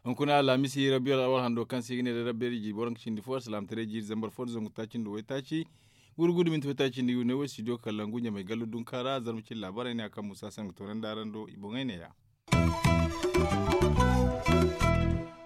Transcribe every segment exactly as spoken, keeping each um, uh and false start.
Hunkuna alhamisi rabbi alawal hando kaŋ se i ga ne da rabbi iri jiiri boro nga cindi fo alsalaamataray jiiri zambar fo da zangu taaci nda waytaaci gurgudu minti waytaaci nda yu ne wo studio kallangu ɲamay gallo dunka ra zarma cindi laabaarey ne ya kaŋ musa se nga toonandi araŋ do i boŋey ne ya.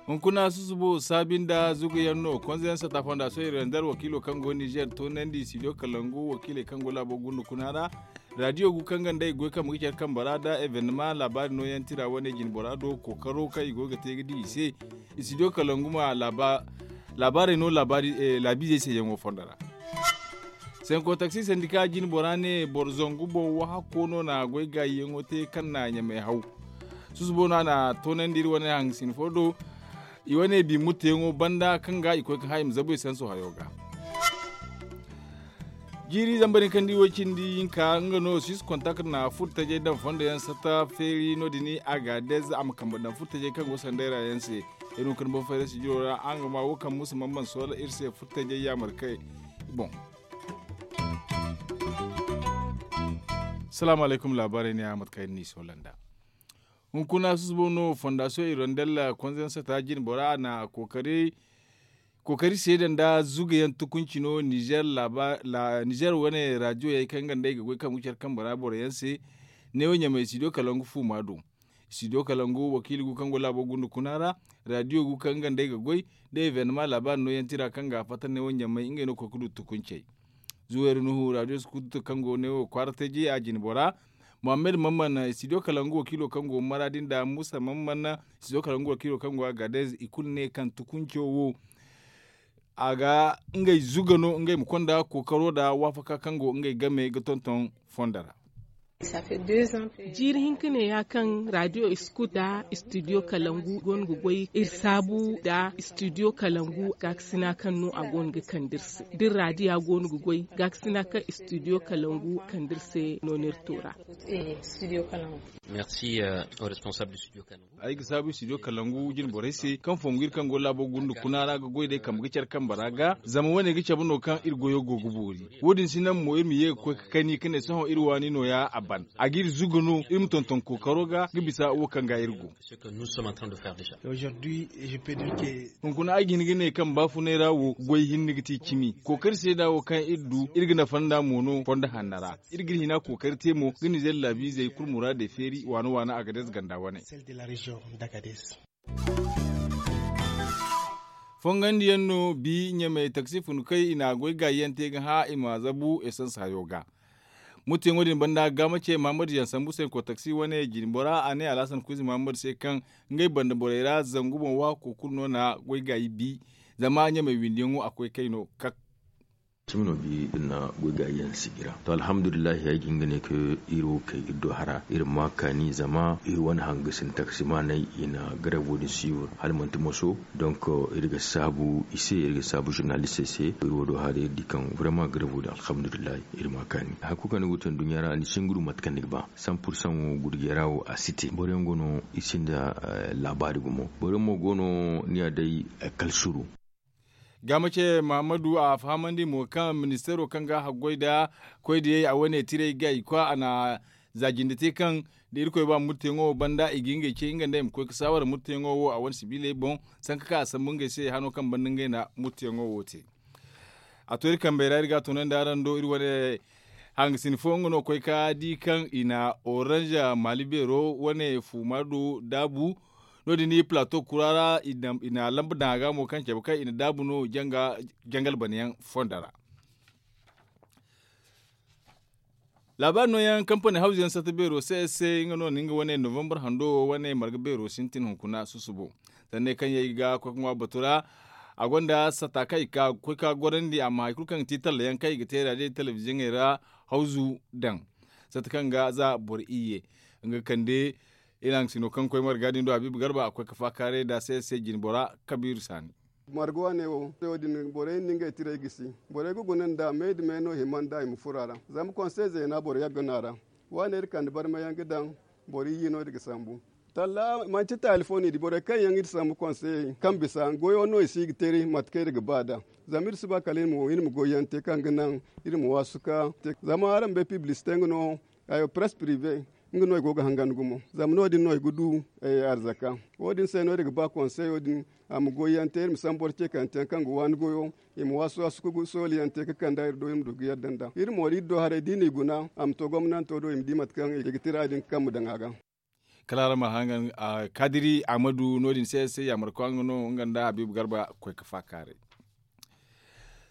Hunkuna susubo saabi nda zugu yaŋ no konza yaŋ sata fonda sohiro yaŋ da alwakiilo kaŋ go nizer toonandi studio kallangu wakiiley kaŋ go laabo gunda kuna ra. Radiyo gu kaŋ ga nd'ey goy kambe ga care kambe ra da evenema laabaari nooyaŋ tira wane jinbora do kookaro kaŋ i go ga te ga di i se. Studio kalangu ma laabaarey no laabiizey se yaŋo fondo ra. Senko taksi sandika jinbora ne boro zangu boŋ wahakko no na goy gaayi yaŋo te kaŋ na ɲamay haw. Susubo no a na toonandi iri wane hangasin fo do. I wane bi mutteyaŋo banda kaŋ ga i koy ga haayim zabu i sanso hayo ga. Jiiri zambar hinka nda i wo cindi hinka nga no six kontak na furtajey daŋ fondo yaŋ sata feeri no- din a ga dez a ma kambe daŋ furtajey kaŋ go sanday ra yaŋ se. Iri hunkuna boŋ fayda sijiro ra a nga ma wo kaŋ musa man man soola iri se furtajey yaamar kay. Boŋ. Salaamu alaykum laabaarey ne a mate kaŋ iri n'i soola nda. Hunkuna susubo no fondasiyoŋ irondel konza yaŋ sata jinbora a na kookari kookari seeda nda zugayaŋ tukunci no nizer wane radiyo yaŋ kaŋ nga nda ay ga goy kaŋ ga care kambe ra boro yaŋ se. Neewo ɲamay studio kalangu fuuma do. Studio kalangu wakiili gu kaŋ go laabo gunda kuna ra. Radiyo gu kaŋ nga nda ay ga goy da evenema laabaari nooyaŋ tira kaŋ ga a fatta neewo ɲamay ngey no koy ga du tukuncey. Zuwayru nuhu radiyo skutu kaŋ go neewo kwaara teji a jinbora. Muhammad mamman studio kalangu wakiilo kaŋ go maradi nda musa mamman studio kalangu wakiilo kaŋ go agadez i kulu ne kaŋ tukunco wo a ga ngey zuga no ngey ma konda kookaro nda waafaka kaŋ go ngey game ga tonton fondo ra. Jiiri hinka ne ya kaŋ radiyo iskut da studio kalangu go no ga goy iri saabu nda studio kalangu gaakasina kaŋ no a go no ga kande iri se da iri radiya go no ga goy gaakasina kaŋ studio kalangu kande iri se no no iri to ra. Ay ga saabu studio kalangu jinborey se kaŋ fongu iri kaŋ go laabo gunda kuna ra ga goy day kambe ga care kambe ra ga zama wane ga cabe no kaŋ iri goyo go ga boori. Wo- din si naŋ mo iri ma ye ga koy ga kani ga ne sohõ iri waani no- ya a ban a ga iri zuga no iri ma tonton kookaro ga ga bisa wo kaŋ ga iri go. Hunkuna ay ga hin ga ne kaŋ baafunay ra wo goy hinne ga ti cimi kookari seeda wo kaŋ iri du iri ga nafa nd'a mo no fondo hanno ra. Iri ga iri hina kookari te mo ga nizer laabiizey kulu muraadey feeri waana waana agadez ganda wane. Fongandiyaŋ no bi ɲamay taksi funu kay i na goy gaayiyaŋ te ga hã i ma zabu esans hayo ga. Muttiyaŋo din banda gaama ce mahamadu yaŋ sambu se ko taksi wane jinbora a ne alhasan kuuzi mahamadu se kaŋ ngey banda borey ra zangu boŋ waako kulu no na goy gaayi bi. Zama ɲamay windiyaŋo a koy kay no kak. Cimi no bi iri na goy gaayiyaŋ sijira to alhamdulillahi ay ga hin ga ne kaŋ iri wo kay iri do hara iri ma kaani zama iri wane hangasin taksimaaney i na garevo din suivre hala manti moso. Donk iri ga saabu i se iri ga saabu zurnalistey se iri wo do hara iri di kaŋ vraiment garevo din alhamdulillahi iri ma kaani hari kulu kaŋ ni go te nduɲɲa ra ni si hin ga du mate kaŋ ni ga ba. San pursan wo gurjey ra wo a si te boroyaŋ go no i sinda laabaari gumo boroyaŋ mo go no ni ya day kala suru. Gaama ce mahammadu a fahamandi mo kaŋ ministeero kaŋ ga haggoy nda koydiyey a wane tiray ga i kwa a na za jinde te kaŋ da irkoy ba murteyaŋo wo banda i ga ngey ce nga nda i ma koy ga saawara murteyaŋo wo a wane sibiiley boŋ. Sanka kaŋ a sambu ngey se hano kaŋ banda ngey na murteyaŋo wo te. A to iri kambey ra iri ga a toonandi araŋ do iri wane hangasin fo nga no koy ka di kaŋ i na orange maali beero wane fuuma do daabu. No- din i plato kura ra i na lamba daŋ a ga mo kaŋ cabe kaŋ i na daabu no jangal banayaŋ fondo ra. Laabaari nooyaŋ kampani hawzu yaŋ sata beero se se nga no na nga wane novembre hando wo wane marga beero sintin hunkuna susubo. Sanney kaŋ yaŋ i ga koy ga ŋwa batu ra a gonda sata kaŋ i ga koy ka gorandi amma hari kulu kaŋ ga ti talla yaŋ kaŋ i ga te raadiyo telebiziyoŋey ra hawzu daŋ. Sata kaŋ ga za boro iyye nga kande. Iri haŋ sino kaŋ koy marga din do habiibu garba a koy ga faakaaray nda se se jinbora kabiiru saani. Marga waane wo wo- din borey na ngey tiray gisi. Borey ga guna nda me nda me no hima nda i ma furo a ra. Zama konsey zeena boro yagga no a ra. Waane iri kande barmayaŋ ga daŋ boro iyye no- din ga sambu. Talla manti taali fo no i di borey kaŋ yaŋ iri sambu konseyey kaŋ bisa goyo no i si ga te iri mate kaŋ iri ga ba nd'a. Zama iri si ba kala iri ma goy yaŋ te kaŋ ga naŋ iri ma waasu ka te zama araŋ bay piblisite nga no. Hayo press prive nga no i go ga hangan gumo zama no- din no i ga du arzaka. Wo- din se no iri ga ba konseyo din a ma goy yaŋ te iri ma sambu boro ceekanteyaŋ kaŋ ga waani goyo. I ma waasu waasu ga sooli yaŋ te ga kand'a iri do iri ma du ga yadda nd'a iri mo da iri do haray da i n'i guna a ma to gomnanto do i ma di mate kaŋ i ga tira din ga kambe daŋ a ga. Kala araŋ ma hangan kaadiri ahmadu no- din se se yaamarkoy nga no nga nda habiibu garba koy ga faakaaray.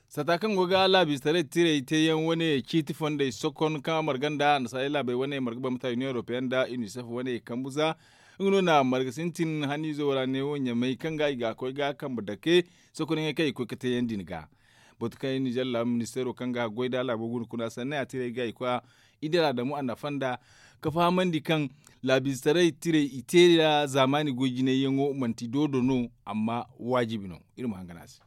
Satta kaŋ go ga laabistaray tirey teeyaŋ wane ciiti fondey sokon kaŋ a marga nda annasaarey laabey wane marga bambata union european nda unicef wane kambu za. Nga no na marga sintin haniizo ra neewo ɲamay kaŋ ga i ga koy ga kambe dake sokon yaŋey kaŋ i ga koy ga teeyaŋ din ga. Batu kaŋ i nizer laabu ministeero kaŋ ga goy nda laabo guna kuna sanney a tirey ga i koy a idara damu a nafa nda ka fahamandi kaŋ laabistaray tirey i te nda zaamaani goy jinay yaŋo manti doodo no. Amma waajibi no. Iri ma hangan a se.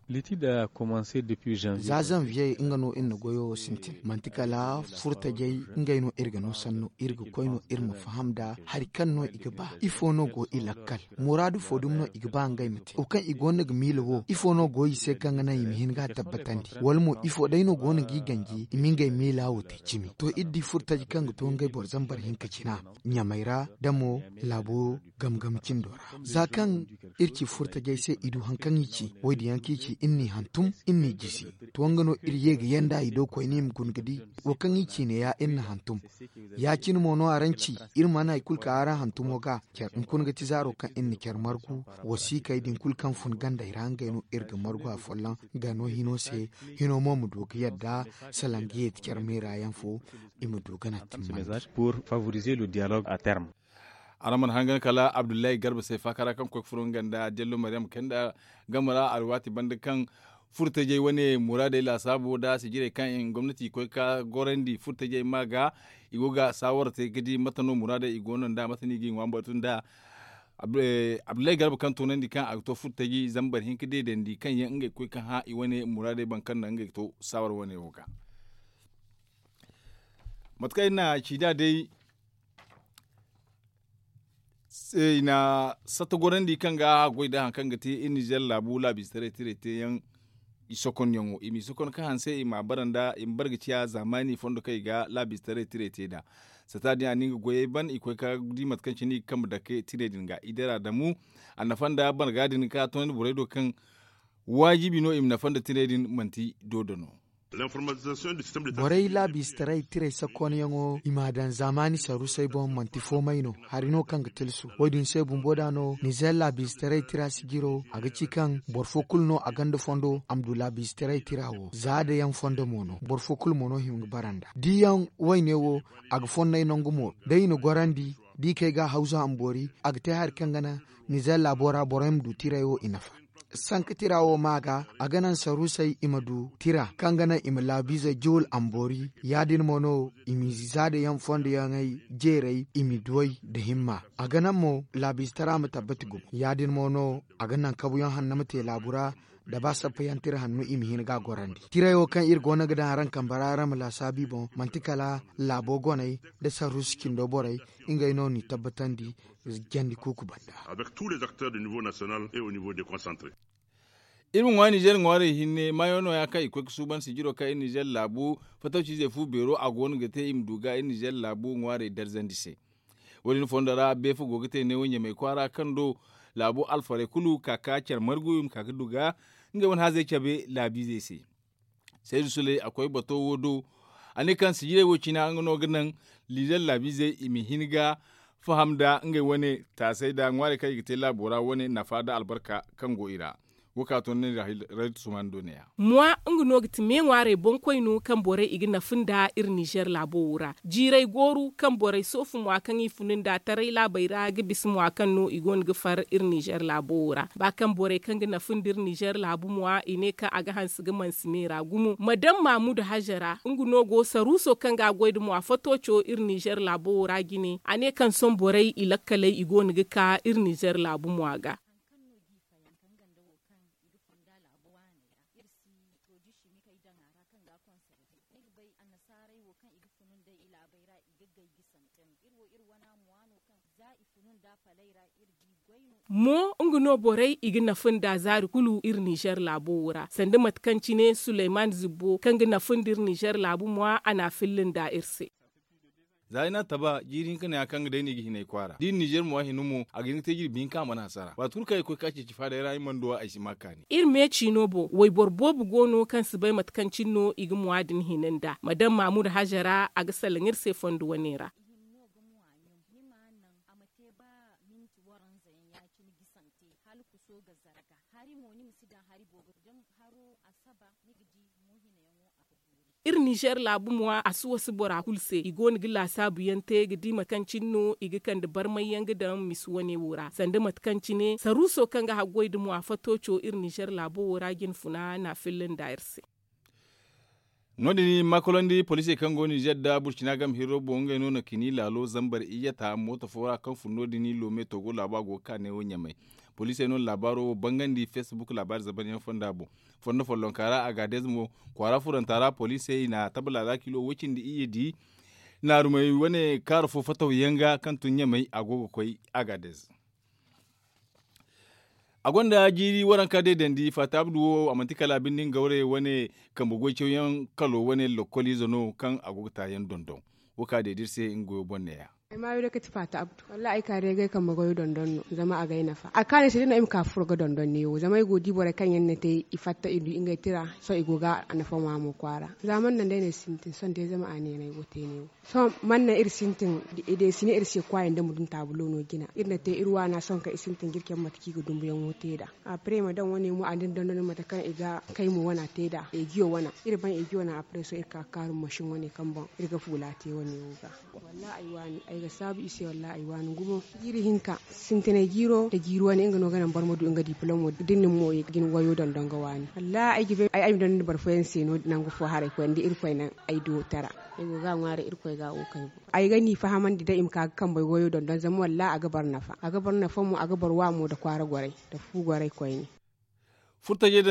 Za zanviye nga no iri na goyo sintin manti kala furtajey ngey no iri ga no sanno iri ga koy no iri ma faham nda hari kaŋ no i ga ba ifo no go i lakkal muraadu fo dumi no i ga ba ngey ma te wo kaŋ i go no ga miila wo ifo no go i se kaŋ ga naŋ i ma hin ga a tabbatandi wala mo ifo day no go no ga i ganji i ma ngey miila wo te cimi to iri di furtaji kaŋ ga to ngey boro zambar hinka cina ɲamay ra da mo laabo gamgam cindo ra za kaŋ iri ci furtajey se i du hari kaŋ i ci wo- din yaŋ kaŋ i ci iri n'i hantum iri n'i jisi to nga no iri ye ga yanda i do koyne i ma guna ga di wo kaŋ i ci ne- ya iri na hantum ya- cine mo no araŋ ci iri mana hari kulu ka araŋ hantumo ga care hunkuna ga ti zaaro kaŋ iri na care margu wasiikey din kulu kaŋ fun gandey ra ngey no iri ga margu afolloŋ ga no hino se hino mo ma du ga yadda salaŋ ga yeeti care meera yaŋ fo i ma du ga naŋ timmandi. Araŋ mana hangan kala abdullahi garba se faaka ra kaŋ koy ga furo nga nda dello maryam kayna game ra alwaati banda kaŋ furtajey wane muraadey laasaabo nda sijirey kaŋ i na gomnati koy ga gorandi furtajey ma ga i go ga saawara te ga di mate no muraadey i go no nda mate no i ga i ŋwa batu nda abdullahi garba kaŋ toonandi kaŋ a ga to furtaji zambar hinka deedandi kaŋ yaŋ ngey ga koy ga hã i wane muraadey boŋ kaŋ naŋ ngey ga to saawara wane wo ga. Mate kaŋ iri na ci nd'a day i na satta gorandi kaŋ ga a goy nda hari kaŋ ga te iri nizer laabu laabiize taray tirey teeyaŋ i sokonyaŋo i m'i sokon ka hanse i m'a bara nda i ma bara ga ciya zaamaani fondo kaŋ i ga laabiize taray tirey te nd'a. Satta din a na nga goyey ban i koy ka di mate kaŋ cine i ga kambe dake tirey din ga i dira damu a nafa nda barga din ka toonandi borey do kaŋ waajibi no i ma nafa nda tirey din manti doodo no. Borey laabiistaray tirey sakooniyaŋo i m'a daŋ zaamaani sarusey boŋ manti foomay no hari no kaŋ ga tilsu wo- din se bumbo da no nizer laabiistaray tira sijiro a ga ci kaŋ boro fo kulu no a gonda fondo a ma du laabiistaray tira wo za da yaŋ fondo mo no boro fo kulu mo no hima ga bara nd'a diyaŋ wayne wo a ga fonnay nangu mo day i na gorandi da i kay ga a hawza a ma boori a ga te hari kaŋ ga naŋ nizer laabo ra borey ma du tirey wo i nafa. Sanka tira wo ma ga a ga naŋ sarusey i ma du tira kaŋ ga naŋ i ma laabiizey juul a ma boori ya- din mo no i ma i za da yaŋ fondo yaŋey jeerey i ma i duwey nda himma a ga naŋ mo laabiize tara ma tabbati gumo ya- din mo no a ga naŋ kabuyaŋ hanno ma te laabu ra nda ba sappa yaŋ tira hanno i ma hin ga a gorandi tirey wo kaŋ iri go no ga daŋ araŋ kambe ra araŋ ma laasaabu i boŋ manti kala laabo goney nda saruusu cindo borey ngey no n'i tabbatandi jandi kuuku banda. Avec tous les acteurs du niveau national et au niveau déconcentré. Iri ma ŋwa nizer ŋwaarey hinne maayo no- ya kaŋ i koy ga suuban sijiro kaŋ iri nizer laabu fatawciizey fu beero a go no ga te i ma du ga iri nizer laabu ŋwaarey darzandi se. Wo- din fondo ra beefa go ga te neewo ɲamay kwaara kaŋ do laabu alfarey kulu ka ka care margu i ma ka ga du ga ngey wane haazey cabe laabiizey se. Saydu suley a koy bato wo do a ne kaŋ sijirey wo cina nga no ga naŋ liizer laabiizey i ma hin ga faham nda ngey wane taasey nda ŋwaarey kaŋ i ga te laabo ra wane nafa nda albarka kaŋ go i ra. Wo ka to ne rayt suman do ne ya. Mwa nga no ga ti me ŋwaarey boŋkoy no kaŋ borey i ga nafa nda iri nizer laabo wo ra jiirey gooru kaŋ borey soofu mwa kaŋ i funu nda taray laabey ra ga bisa mwa kaŋ no i go no ga far iri nizer laabo wo ra ba kaŋ borey kaŋ ga nafa nda iri nizer laabu mwa i ne kaŋ a ga hanse ga mansi me ra gumo madam maamudu hajara nga no go saruuso kaŋ ga a goy nda mwa fatooco iri nizer laabo wo ra jine a ne kaŋ sohõ borey i lakkaley i go no ga ka iri nizer laabu mwa ga. Iri si produit chimique ay daŋ a ra kaŋ ga a conserver ni ga bay annasaarey wo kaŋ i ga funu nd'ey i laabey ra i ga gay ga santen iri wo iri wana mo waano kaŋ. Mo nga no borey i ga nafa nda zaari kulu iri nizer laabo wo ra sanda mate kaŋ cine suleyman zibbo kaŋ ga nafa nda iri nizer laabu mo a na a filla nda iri se. Za ay n'a taba jiiri hinka ne ya kaŋ ga day no i ga hin ay kwaara da iri nizer mo a hina mo a ga hin ga te jirbi hinka a mana hasara waati kulu kaŋ ay ga koy ga ka ceeci faada ay ra ay mana du a ay si ma a kaani. Iri me ciino boŋ wayboro boobo go no kaŋ si bay mate kaŋ cine no i ga muwaadin hina nda madam maamuda haza ra a ga salaŋ iri se fondo wane ra. Iri nizer laabu mo a si wasa bora kulu se i go no ga laasaabu yaŋ te ga di mate kaŋ cine no i ga kande barmay yaŋ ga daŋ misi wane wo ra sanda mate kaŋ cine saruuso kaŋ ga haggoy nda mo a fato co iri nizer laabo wo ra jinfuna na a filla nda iri se. No- din makolandi poliisey kaŋ go nizer nda burcina game hirro boŋ ngey no na kini laalo zambar iyyata mooto fo ra kaŋ fun no- din loome togo laabo a go ga ka neewo ɲamay. Poliisey no na laabaaro wo bangandi facebook laabaari zabanyaŋ fonda boŋ. Fondo follonka ra agaadez mo kwaara furanta ra poliisey na taba laala kilo woy cindi iyye di naarumey wane kaara fo fataw yaŋ ga kaŋ tun ɲamay a go ga koy agaadez. A gonda jiiri waranka deedandi faata abdu wo a manti kala binde nga gawray wane kambe goy cawyaŋ kalo wane lokkoliize no kaŋ a go ga taayaŋ dondon. Wo ka deedi iri se nga goyo boŋ neeya. Ay maayo day kati faata abdu wallaahi ay ka day ga ay kambe goyo dondon no zama a ga ay nafa a kaani ay se day no ay ma ka furo ga dondon neewo zama ay go ga di borey kaŋ yaŋ na te i fatta i du ngey tira. Sohõ i go ga a nafa ŋwa mo kwaara. Za man naŋ day no ay sintin sohõ day zama a neena ay go te neewo. Sohõ man naŋ iri sintin i deesine iri se kwaayaŋ da ma dun taabulo no jina iri na te iri waana sohõ kaŋ i sintin ga iri cabe mate kaŋ i ga dumbuyaŋo te nd'a. Apre i ma daŋ wane mo a din dondon mate kaŋ i ga kay mo wana te nd'a ejiyo wana iri ban ejiyo wana apre sohõ iri ka ga kaarum masin wane kaŋ boŋ iri ga fuula te wane wo ga. Wallaahi ay waani ay ga saabu i se wallaahi ay waani gumo. Jiiri hinka sintinay jiiro nda jiiri wane nga no ga naŋ boro ma du nga diplom wo da ni na ni mooyo ga ni wayo dondon ga waani wallaahi ay ga bay ay ma dondon boro fooyaŋ se no nangu fo haray koyne da irkoy naŋ ay do tara. Ay go ga a ŋwaaray irkoy ga wo kay boŋ ay ga ni fahamandi day i ma ka ga kambey goyo dondon zama wallaahi a ga boro nafa a ga boro nafa mo a ga boro wa mo nda kwaara goray nda fu goray koyne. Furtajey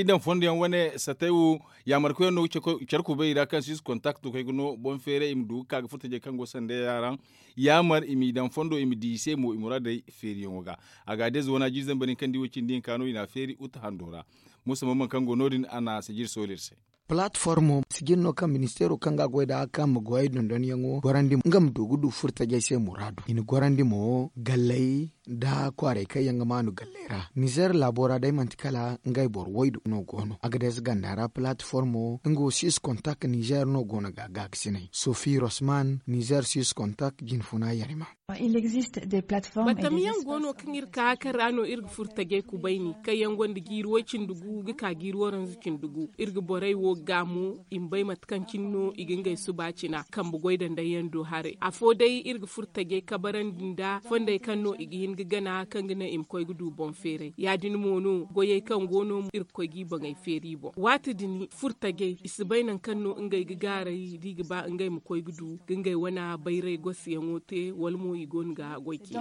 daŋ fondo yaŋ wane satay wo yaamarkoy yaŋ no ga care kubay i ra kaŋ si kontakto kaŋ ay ga no boŋ feeray i ma du ga ka ga furtajey kaŋ go sanda yaŋ ra yaamar i m'i daŋ fondo i ma di i se mo i muraadey feeriyaŋo ga. Agaadez wana jiiri zambar hinka nda i wo cindi hinka no i n'a feeri uta hando ra. Muusa mamman kaŋ go no- din a na sijiri sooli iri se. Palatformo sijiri no kaŋ ministeero kaŋ ga a goy nd'a kaŋ ma goyey dondonyaŋo gorandi nga ma du ga du furtajey se muraadu i na gorandi mo galley nda kwaarey kaŋ yaŋ ga maanu galley ra nizer laabo ra day manti kala ngey boro waydu no go no agades ganda ra palatformo nga wo six kontak nizer no go no ga gaakasinay sofi rosman nizer six kontak jinfuna yarima. Batamiyaŋ go no kaŋ iri ka kaŋ ra no iri ga furo tajay kubayni kaŋ yaŋ gonda jiiri way cindi gu ga ka jiiri waranza cindi gu iri ga borey wo ga mo i ma bay mate kaŋ cine no i ga ngey suba cina kambe goy danday yaŋ do haray afo day iri ga furo tajay kabarandi nda fondey kaŋ no i ga hin ga gana kaŋ ga naŋ i ma koy ga du boŋ feeray ya- din mo no goyey kaŋ go no iri ga koy g'i boŋey feeri i boŋ waati din furo tajay i si bay nangu kaŋ no ngey ga gaaray da i ga ba ngey ma koy ga du ga ngey wana bayray gosi yaŋo te wala mo i go no ga goy ce.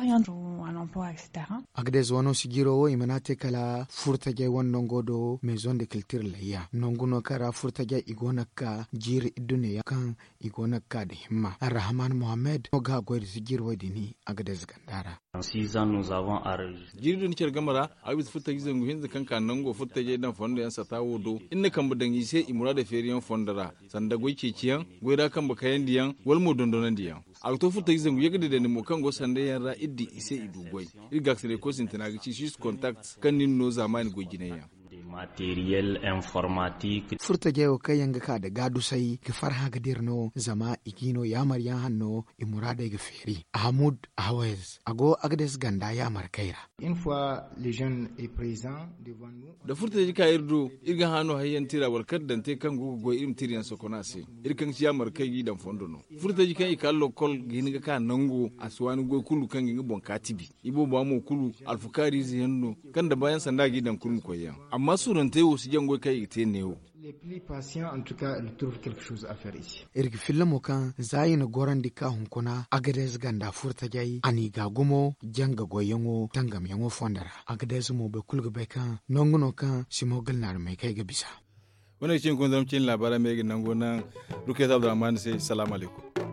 Agades wano sijiro wo i mana te kala furo tajay wane nango do maison de culture layya nangu no kaŋ ra furo tajay i go no ga ka jiiri iddune yaŋ kaŋ i go no ga ka nda himma arrahman mohammed no ga goy nda sijiro wo din agades ganda ra. Jiiri do ni care game ra a ga bisa furo tajay zangu hinza kaŋ ka nango furo tajay daŋ fondo yaŋ sata wo do iri na kambe daŋ i se i muraadey feeri yaŋ fondo ra sanda goy ceeci yaŋ goy ra kambe kayandi yaŋ wala mo dondonandi yaŋ. A ga to furo tajay zangu yagga deedandi mo kaŋ go sanda yaŋ ra iri di i se i du goy. Iri gaakasinay koy sintina ga ci six contact kaŋ nin no zaamaani goy jinay yaŋ. Furo tajay wo kaŋ yaŋ ga ka nda gaadusay ga farhã ga dira no zama i g'i no yaamar yaŋ hanno i muraadey ga feeri ahamud ahawez a go agades ganda yaamar kay ra. Da furo tajay ka iri do iri ga hã no hayyaŋ tira wala kar daŋ te kaŋ go ga goy iri ma tira yaŋ sokon a se. Iri kaŋ ga ci yaamar kay g'i daŋ fondo no furo tajay kaŋ i ka lokol ga hin ga ka nango a si waani goy kulu kaŋ ga nga boŋ ka tibi. I booba mo kulu alfukaari ize yaŋ no kaŋ da baayaŋ sanda a g'i daŋ kulu ma koy yaŋ amma suurantey wo si jaŋ goy kaŋ i ga te neewo. Iri ga filla mo kaŋ za i na gorandi ka hunkuna agades ganda furo tajay a n'i ga gumo janga goyyaŋo tangamyaŋo fondo ra agades mo boro kulu ga bay kaŋ nangu no kaŋ simo ga naarumey kaŋ ay ga bisa. Wane ga cine koy zama cine laabaara me ga nango naŋ rukayat abdurrahman se salaamu alaykum.